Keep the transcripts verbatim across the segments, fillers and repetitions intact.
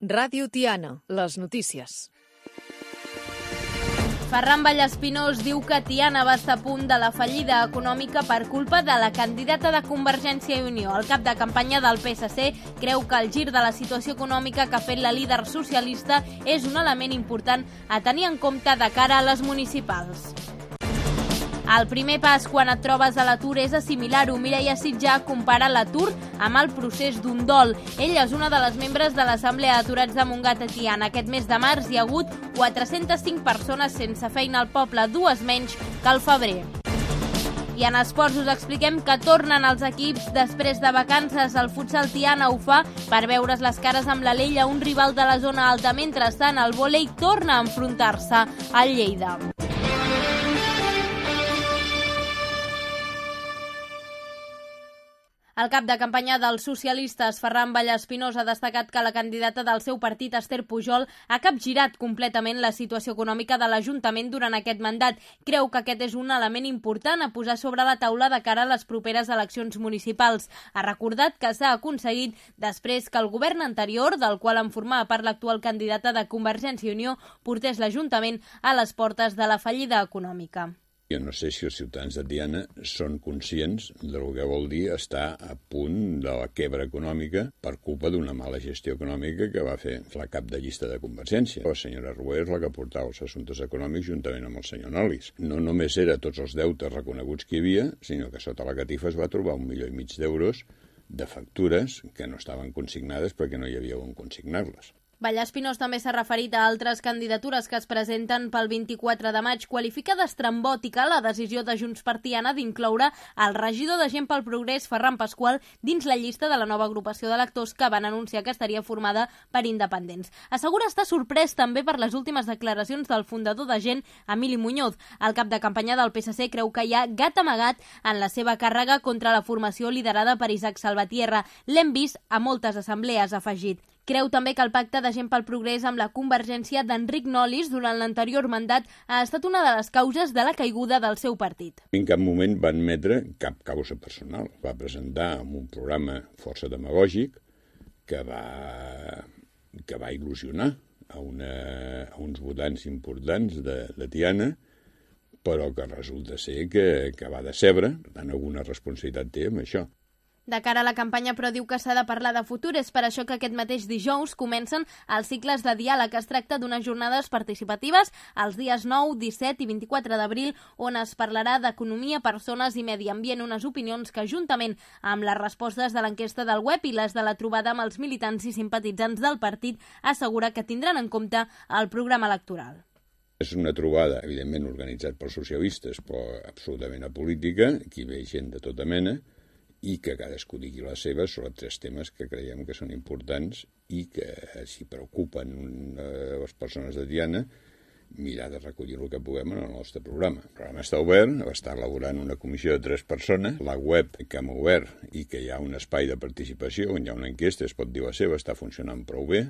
Ràdio Tiana, les notícies. Ferran Vallespinós diu que Tiana va estar a punt de la fallida econòmica per culpa de la candidata de Convergència i Unió. El cap de campanya del P S C creu que el gir de la situació econòmica que ha fet la líder socialista és un element important a tenir en compte de cara a les municipals. El primer pas quan et trobes a l'atur és assimilar-ho. Mireia Sitjà compara l'atur amb el procés d'un dol. Ella és una de les membres de l'Assemblea d'Aturats de Montgat a Tiana. Aquest mes de març hi ha hagut quatre-centes cinc persones sense feina al poble, dues menys que al febrer. I en esports us expliquem que tornen els equips després de vacances. El futsal Tiana ho fa per veure's les cares amb l'Alella, un rival de la zona alta. Mentrestant, el vòlei torna a enfrontar-se al Lleida. El cap de campanya dels socialistes, Ferran Vallespinós, ha destacat que la candidata del seu partit, Esther Pujol, ha capgirat completament la situació econòmica de l'Ajuntament durant aquest mandat. Creu que aquest és un element important a posar sobre la taula de cara a les properes eleccions municipals. Ha recordat que s'ha aconseguit després que el govern anterior, del qual en formava part l'actual candidata de Convergència i Unió, portés l'Ajuntament a les portes de la fallida econòmica. Jo no sé si els ciutadans de Tiana són conscients del que vol dir estar a punt de la quebra econòmica per culpa d'una mala gestió econòmica que va fer la cap de llista de Convergència. La senyora Rué és la que portava els assumptes econòmics juntament amb el senyor Nolis. No només era tots els deutes reconeguts que hi havia, sinó que sota la catifa es va trobar un milió i mig d'euros de factures que no estaven consignades perquè no hi havia on consignar-les. Vallespinós també s'ha referit a altres candidatures que es presenten pel vint-i-quatre de maig. Qualifica d'estrambòtica la decisió de Junts per Tiana d'incloure el regidor de Gent pel Progrés, Ferran Pasqual, dins la llista de la nova agrupació d'electors que van anunciar que estaria formada per independents. Assegura estar sorprès també per les últimes declaracions del fundador de Gent, Emili Muñoz. El cap de campanya del P S C creu que hi ha gat amagat en la seva càrrega contra la formació liderada per Isaac Salvatierra. L'hem vist a moltes assemblees, ha afegit. Creu també que el pacte de Gent pel Progrés amb la Convergència d'Enric Nolis durant l'anterior mandat ha estat una de les causes de la caiguda del seu partit. En cap moment va admetre cap causa personal. Va presentar un programa força demagògic que va, que va il·lusionar a, una, a uns votants importants de, de Tiana, però que resulta ser que, que va decebre. Per tant, alguna responsabilitat té amb això. De cara a la campanya, però, diu que s'ha de parlar de futur. És per això que aquest mateix dijous comencen els cicles de diàleg. Es tracta d'unes jornades participatives els dies nou, disset i vint-i-quatre d'abril, on es parlarà d'economia, persones i medi ambient, unes opinions que, juntament amb les respostes de l'enquesta del web i les de la trobada amb els militants i simpatitzants del partit, assegura que tindran en compte el programa electoral. És una trobada, evidentment, organitzat pels socialistes, però absolutament apolítica, aquí ve gent de tota mena, i que cadascú digui la seva sobre tres temes que creiem que són importants i que, si preocupen eh, les persones de Tiana, mirar de recollir el que puguem en el nostre programa. El programa està obert, està elaborant una comissió de tres persones, la web que hem obert i que hi ha un espai de participació on hi ha una enquesta, es pot dir la seva, està funcionant prou bé,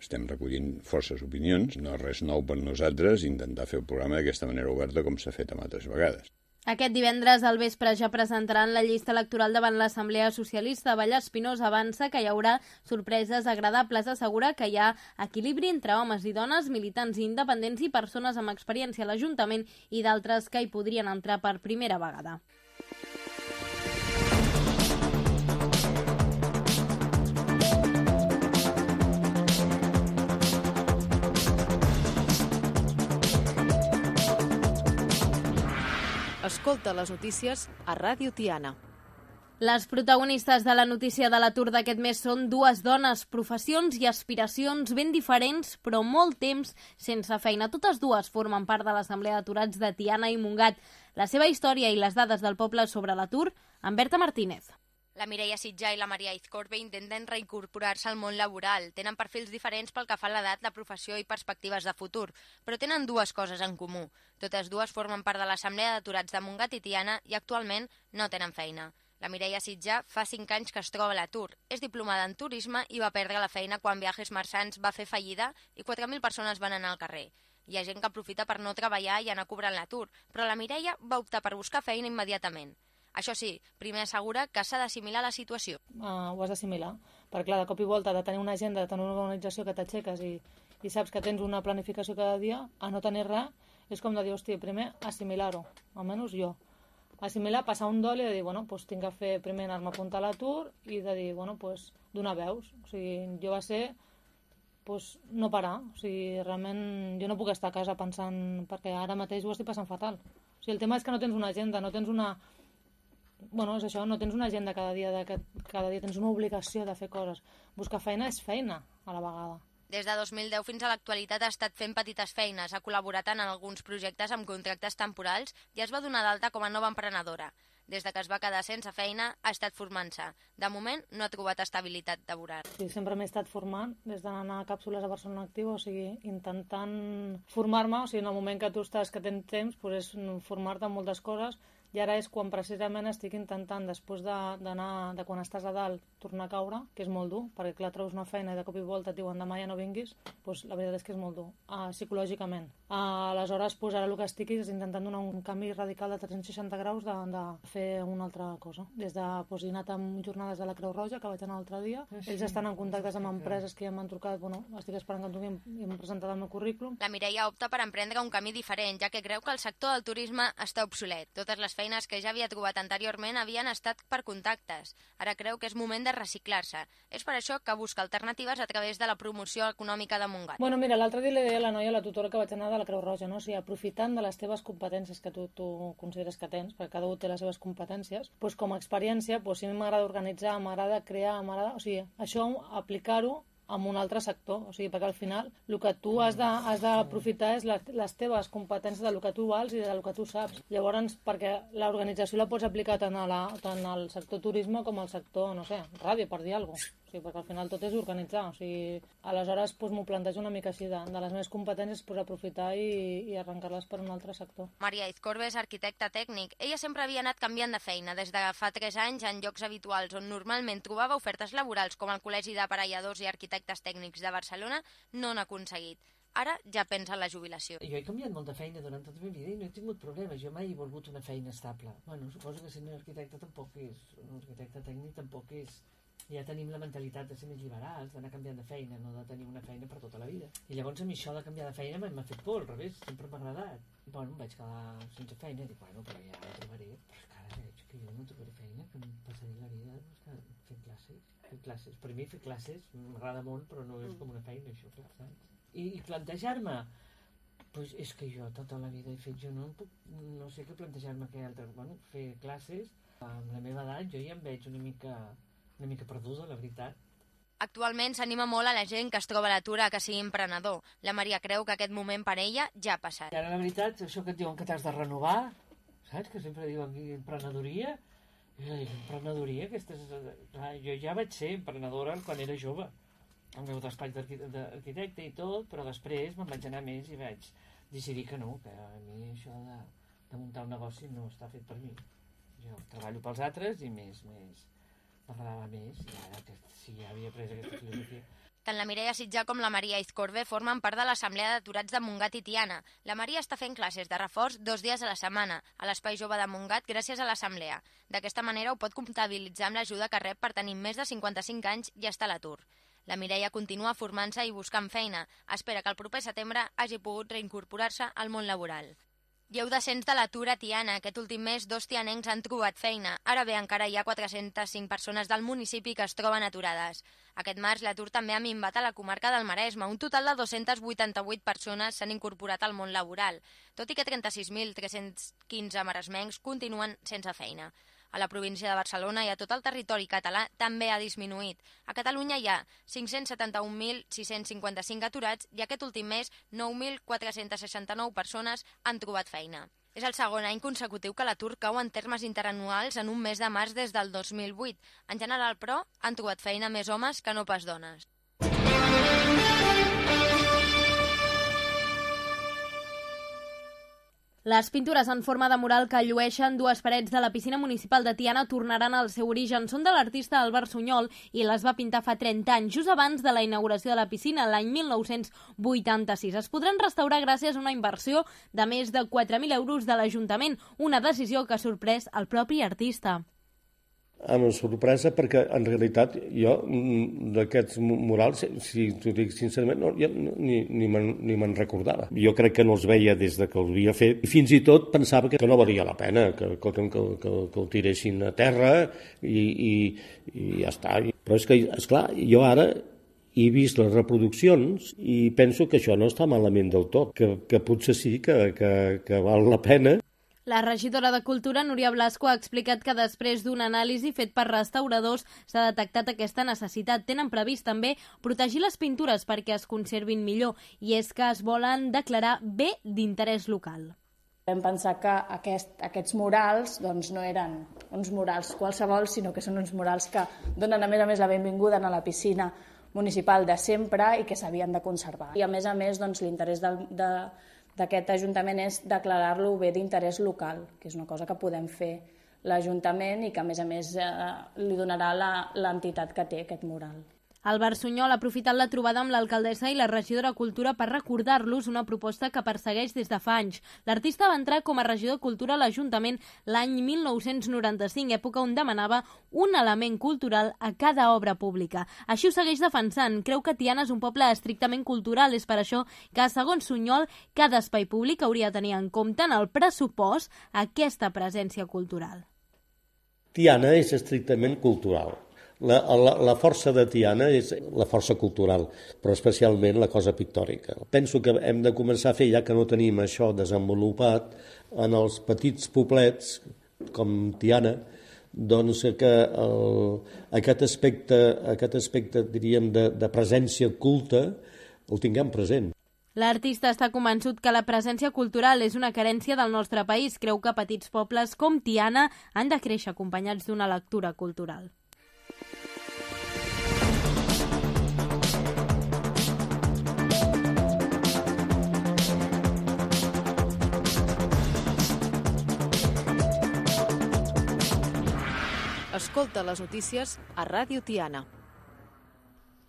estem recollint forces opinions, no és res nou per nosaltres intentar fer el programa d'aquesta manera oberta com s'ha fet amb altres vegades. Aquest divendres al vespre ja presentaran la llista electoral davant l'Assemblea Socialista. Vallespinós avança que hi haurà sorpreses agradables. Assegura que hi ha equilibri entre homes i dones, militants i independents i persones amb experiència a l'Ajuntament i d'altres que hi podrien entrar per primera vegada. Escolta les notícies a Ràdio Tiana. Les protagonistes de la notícia de l'atur d'aquest mes són dues dones, professions i aspiracions ben diferents, però molt temps sense feina. Totes dues formen part de l'Assemblea d'Aturats de Tiana i Montgat. La seva història i les dades del poble sobre l'atur, amb Berta Martínez. La Mireia Sitjà i la Maria Izcorbe intenten reincorporar-se al món laboral. Tenen perfils diferents pel que fa a l'edat, la professió i perspectives de futur, però tenen dues coses en comú. Totes dues formen part de l'Assemblea d'Aturats de Montgat i Tiana i actualment no tenen feina. La Mireia Sitjà fa cinc anys que es troba a l'atur. És diplomada en turisme i va perdre la feina quan Viajes Marsans va fer fallida i quatre mil persones van anar al carrer. Hi ha gent que aprofita per no treballar i anar cobrant l'atur, però la Mireia va optar per buscar feina immediatament. Això sí, primer assegura que s'ha d'assimilar la situació. Uh, ho has d'assimilar, perquè clar, de cop i volta de tenir una agenda, de tenir una organització que t'aixeques i, i saps que tens una planificació cada dia, a no tenir res, és com de dir, hòstia, primer assimilar-ho, almenys jo. Assimilar, passar un dol i de dir, bueno, doncs tinc que fer primer anar-me a apuntar a l'atur i de dir, bueno, doncs donar veus. O sigui, jo va ser doncs, no parar. O sigui, realment jo no puc estar a casa pensant, perquè ara mateix ho estic passant fatal. O sigui, el tema és que no tens una agenda, no tens una... Bueno, és això, no tens una agenda cada dia, de que cada dia tens una obligació de fer coses. Buscar feina és feina, a la vegada. Des de dos mil deu fins a l'actualitat ha estat fent petites feines, ha col·laborat en alguns projectes amb contractes temporals i es va donar d'alta com a nova emprenedora. Des de que es va quedar sense feina, ha estat formant-se. De moment, no ha trobat estabilitat laboral. Sí, sempre m'he estat formant, des d'anar a càpsules a Barcelona Activa, o sigui, intentant formar-me, o sigui, en el moment que tu estàs, que tens temps, doncs és formar-te en moltes coses, i ara és quan precisament estic intentant, després d'anar, de, de quan estàs a dalt, tornar a caure, que és molt dur, perquè clar, treus una feina i de cop i volta et diuen demà ja no vinguis, doncs la veritat és que és molt dur, uh, psicològicament. Uh, aleshores, doncs, ara el que estic és intentant donar un canvi radical de tres-cents seixanta graus de, de fer una altra cosa. Des de, doncs, he anat amb jornades de la Creu Roja, que vaig anar l'altre dia, ells estan en contactes amb empreses que ja m'han trucat, bueno, estic esperant que em truquin i m'han presentat el meu currículum. La Mireia opta per emprendre un camí diferent, ja que creu que el sector del turisme està obsolet. Totes les feines que ja havia trobat anteriorment havien estat per contactes. Ara creu que és moment de reciclar-se. És per això que busca alternatives a través de la promoció econòmica de Montgat. Bueno, mira, l'altre dia li deia a la noia, la tutora que vaig anar de la Creu Roja, no? O sigui, aprofitant de les teves competències que tu, tu consideres que tens, perquè cada un té les seves competències, doncs com a experiència, doncs si a mi m'agrada organitzar, m'agrada crear, m'agrada... O sigui, això aplicar-ho en un altre sector, o sigui, perquè al final el que tu has d'aprofitar és les, les teves competències del que tu vals i del que tu saps. Llavors, perquè l'organització la pots aplicar tant, a la, tant al sector turisme com al sector, no sé, ràdio, per dir alguna cosa. O sigui, perquè al final tot és organitzar. O sigui, aleshores doncs, m'ho plantejo una mica així, de, de les meves competències pues, aprofitar i, i arrencar-les per un altre sector. Maria Izcorbe és arquitecta tècnic. Ella sempre havia anat canviant de feina, des de fa tres anys en llocs habituals on normalment trobava ofertes laborals com el Col·legi d'Aparelladors i Arquitectes Tècnics de Barcelona, no n'ha aconseguit. Ara ja pensa en la jubilació. Jo he canviat molt de feina durant tota la meva vida i no he tingut problemes. Jo mai he volgut una feina estable. Bueno, suposo que sent un arquitecte tampoc és... Un arquitecte tècnic tampoc és... Ja tenim la mentalitat de ser més liberals, d'anar canviant de feina, no de tenir una feina per tota la vida. I llavors a mi això de canviar de feina m'ha fet por, al revés, sempre m'ha agradat. Bueno, em vaig quedar sense feina i dic, bueno, però ja la trobaré. Però és que ara veig que jo no trobaré feina, que em passaré la vida doncs, fent classes. Fent classes. Per mi fer classes m'agrada molt, però no és com una feina, això, clar, saps? I, i plantejar-me, pues és que jo tota la vida he fet, jo no puc, no sé què plantejar-me que altre, bueno, fer classes, amb la meva edat jo ja em veig una mica, una mica perduda, la veritat. Actualment s'anima molt a la gent que es troba a l'atur a que sigui emprenedor. La Maria creu que aquest moment per ella ja ha passat. I ara la veritat, això que et diuen que t'has de renovar, saps? Que sempre diuen que emprenedoria, emprenedoria, aquestes... Clar, jo ja vaig ser emprenedora quan era jove, el meu despatx d'arquitecte i tot, però després me'n vaig anar més i vaig decidir que no, que a mi això de, de muntar un negoci no està fet per mi. Jo treballo pels altres i més, més, m'agradava més, i ara que sí, ja havia pres aquesta filosofia. Tant la Mireia Sitjà com la Maria Izcorbe formen part de l'Assemblea d'Aturats de Montgat i Tiana. La Maria està fent classes de reforç dos dies a la setmana a l'Espai Jove de Montgat gràcies a l'Assemblea. D'aquesta manera ho pot comptabilitzar amb l'ajuda que rep per tenir més de cinquanta-cinc anys i estar a l'atur. La Mireia continua formant-se i buscant feina. Espera que el proper setembre hagi pogut reincorporar-se al món laboral. Hi heu descens de l'atur a Tiana. Aquest últim mes dos tianencs han trobat feina. Ara bé, encara hi ha quatre-centes cinc persones del municipi que es troben aturades. Aquest març l'atur també ha minvat a la comarca del Maresme. Un total de dos-centes vuitanta-vuit persones s'han incorporat al món laboral, tot i que trenta-sis mil tres-cents quinze maresmencs continuen sense feina. A la província de Barcelona i a tot el territori català també ha disminuït. A Catalunya hi ha cinc-cents setanta-un mil sis-cents cinquanta-cinc aturats i aquest últim mes nou mil quatre-cents seixanta-nou persones han trobat feina. És el segon any consecutiu que l'atur cau en termes interanuals en un mes de març des del dos mil vuit. En general, però, han trobat feina més homes que no pas dones. Les pintures en forma de mural que llueixen dues parets de la piscina municipal de Tiana tornaran al seu origen. Són de l'artista Albert Sunyol i les va pintar fa trenta anys, just abans de la inauguració de la piscina, l'any mil nou-cents vuitanta-sis. Es podran restaurar gràcies a una inversió de més de quatre mil euros de l'Ajuntament, una decisió que ha sorprès el propi artista. Amb sorpresa, perquè en realitat jo d'aquests murals, si t'ho dic sincerament, no, jo ni, ni me'n recordava. Jo crec que no els veia des de que els havia fet. I fins i tot pensava que no valia la pena, que, que, que, que, que el tiressin a terra i, i, i ja està. Però és que, esclar, jo ara he vist les reproduccions i penso que això no està malament del tot, que, que potser sí que, que, que val la pena. La regidora de Cultura, Núria Blasco, ha explicat que després d'una anàlisi fet per restauradors s'ha detectat aquesta necessitat. Tenen previst també protegir les pintures perquè es conservin millor i és que es volen declarar bé d'interès local. Vam pensar que aquest, aquests murals doncs, no eren uns murals qualsevol, sinó que són uns murals que donen a més a més la benvinguda a la piscina municipal de sempre i que s'havien de conservar. I a més a més doncs, l'interès del, de d'aquest Ajuntament és declarar-lo bé d'interès local, que és una cosa que podem fer l'Ajuntament i que, a més a més, eh, li donarà l'entitat que té aquest mural. Albert Sunyol ha aprofitat la trobada amb l'alcaldessa i la regidora de Cultura per recordar-los una proposta que persegueix des de fa anys. L'artista va entrar com a regidor de Cultura a l'Ajuntament l'any mil nou-cents noranta-cinc, època on demanava un element cultural a cada obra pública. Així ho segueix defensant. Creu que Tiana és un poble estrictament cultural. És per això que, segons Sunyol, cada espai públic hauria de tenir en compte en el pressupost aquesta presència cultural. Tiana és estrictament cultural. La, la, la força de Tiana és la força cultural, però especialment la cosa pictòrica. Penso que hem de començar a fer, ja que no tenim això desenvolupat, en els petits poblets, com Tiana, doncs que el, aquest aspecte, aquest aspecte diríem, de, de presència culta el tinguem present. L'artista està convençut que la presència cultural és una carència del nostre país. Creu que petits pobles com Tiana han de créixer acompanyats d'una lectura cultural. Escolta les notícies a Ràdio Tiana.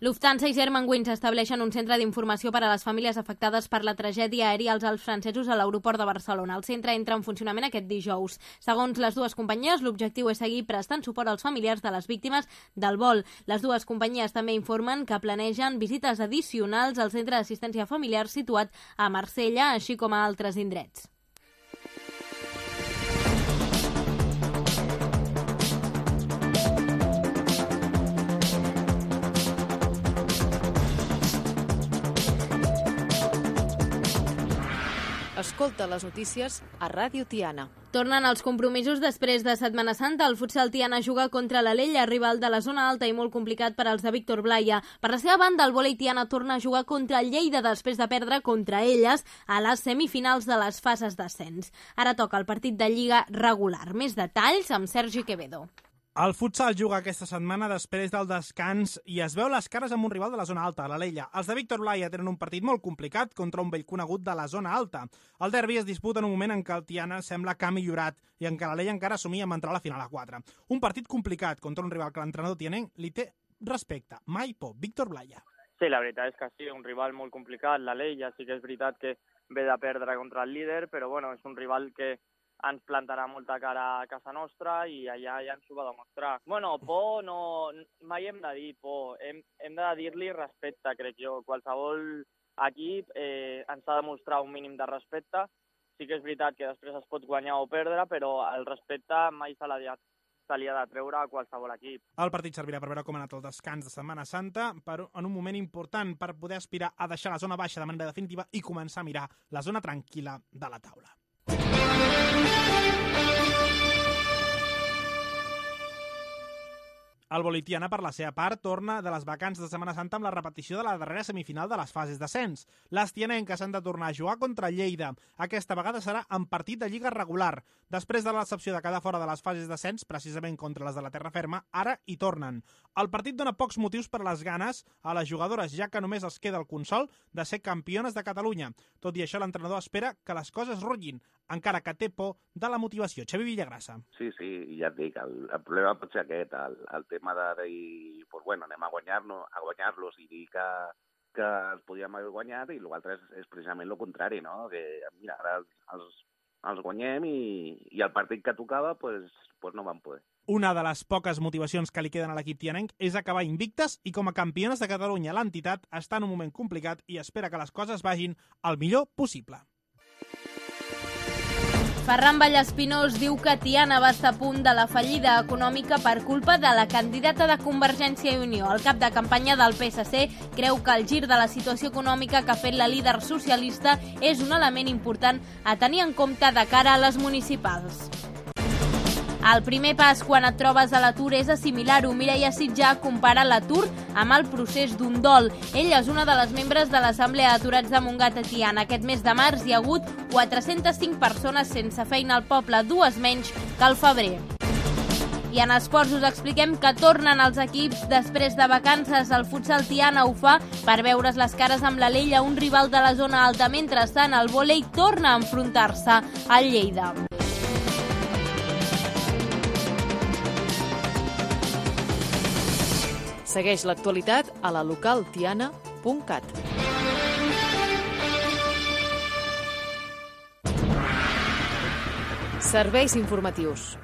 Lufthansa i Germanwings estableixen un centre d'informació per a les famílies afectades per la tragèdia aèria als Alps francesos a l'aeroport de Barcelona. El centre entra en funcionament aquest dijous. Segons les dues companyies, l'objectiu és seguir prestant suport als familiars de les víctimes del vol. Les dues companyies també informen que planegen visites addicionals al centre d'assistència familiar situat a Marsella, així com a altres indrets. Escolta les notícies a Ràdio Tiana. Tornen els compromisos després de Setmana Santa. El futsal Tiana juga contra l'Alella, rival de la zona alta i molt complicat per als de Víctor Blaya. Per la seva banda, el vòlei Tiana torna a jugar contra el Lleida després de perdre contra elles a les semifinals de les fases d'ascens. Ara toca el partit de Lliga regular. Més detalls amb Sergi Quevedo. El futsal juga aquesta setmana després del descans i es veu les cares amb un rival de la zona alta, l'Alella. Els de Víctor Blaya tenen un partit molt complicat contra un vell conegut de la zona alta. El derbi es disputa en un moment en què el Tiana sembla que ha millorat i en què l'Alella encara assumia amb entrar a la final a quatre. Un partit complicat contra un rival que l'entrenador tianenc li té respecte. Mai por. Víctor Blaya. Sí, la veritat és que sí, un rival molt complicat. L'Alella sí que és veritat que ve de perdre contra el líder, però bueno, és un rival que ens plantarà molta cara a casa nostra i allà ja ens ho va demostrar. Bueno, por no... mai hem de dir por, hem, hem de dir-li respecte, crec jo. Qualsevol equip eh, ens ha de mostrar un mínim de respecte. Sí que és veritat que després es pot guanyar o perdre, però el respecte mai se l'ha de, se li ha de treure a qualsevol equip. El partit servirà per veure com ha anat el descans de Setmana Santa, per, en un moment important per poder aspirar a deixar la zona baixa de manera definitiva i començar a mirar la zona tranquil·la de la taula. El vòlei Tiana, per la seva part, torna de les vacances de Setmana Santa amb la repetició de la darrera semifinal de les fases d'ascens. Les tianenques han de tornar a jugar contra Lleida. Aquesta vegada serà en partit de lliga regular. Després de la decepció de quedar fora de les fases d'ascens, precisament contra les de la terra ferma, ara hi tornen. El partit dona pocs motius per a les ganes a les jugadores, ja que només els queda el consol de ser campiones de Catalunya. Tot i això, l'entrenador espera que les coses rutllin, encara que té por de la motivació. Xavi Villagrassa. Sí, sí, ja et dic, el, el problema pot ser aquest, el, el tema de dir, pues bueno, anem a guanyar-los a guanyar-los i dir que, que els podíem haver guanyat, i l'altre és, és precisament el contrari, no? Que mira, ara els, els, els guanyem i, i el partit que tocava pues, pues no van poder. Una de les poques motivacions que li queden a l'equip tianenc és acabar invictes i com a campiones de Catalunya l'entitat està en un moment complicat i espera que les coses vagin el millor possible. Ferran Vallespinós diu que Tiana va estar a punt de la fallida econòmica per culpa de la candidata de Convergència i Unió. El cap de campanya del P S C creu que el gir de la situació econòmica que ha fet la líder socialista és un element important a tenir en compte de cara a les municipals. El primer pas quan et trobes a l'atur és assimilar-ho. Mireia Sitjà compara l'atur amb el procés d'un dol. Ella és una de les membres de l'Assemblea d'Aturats de Montgat a Tiana. Aquest mes de març hi ha hagut quatre-centes cinc persones sense feina al poble, dues menys que al febrer. I en esports us expliquem que tornen els equips després de vacances. El futsal Tiana ho fa per veure's les cares amb l'Alella, un rival de la zona alta. Mentrestant, el vòlei torna a enfrontar-se al Lleida. Segueix l'actualitat a la local tiana punt cat. Serveis informatius.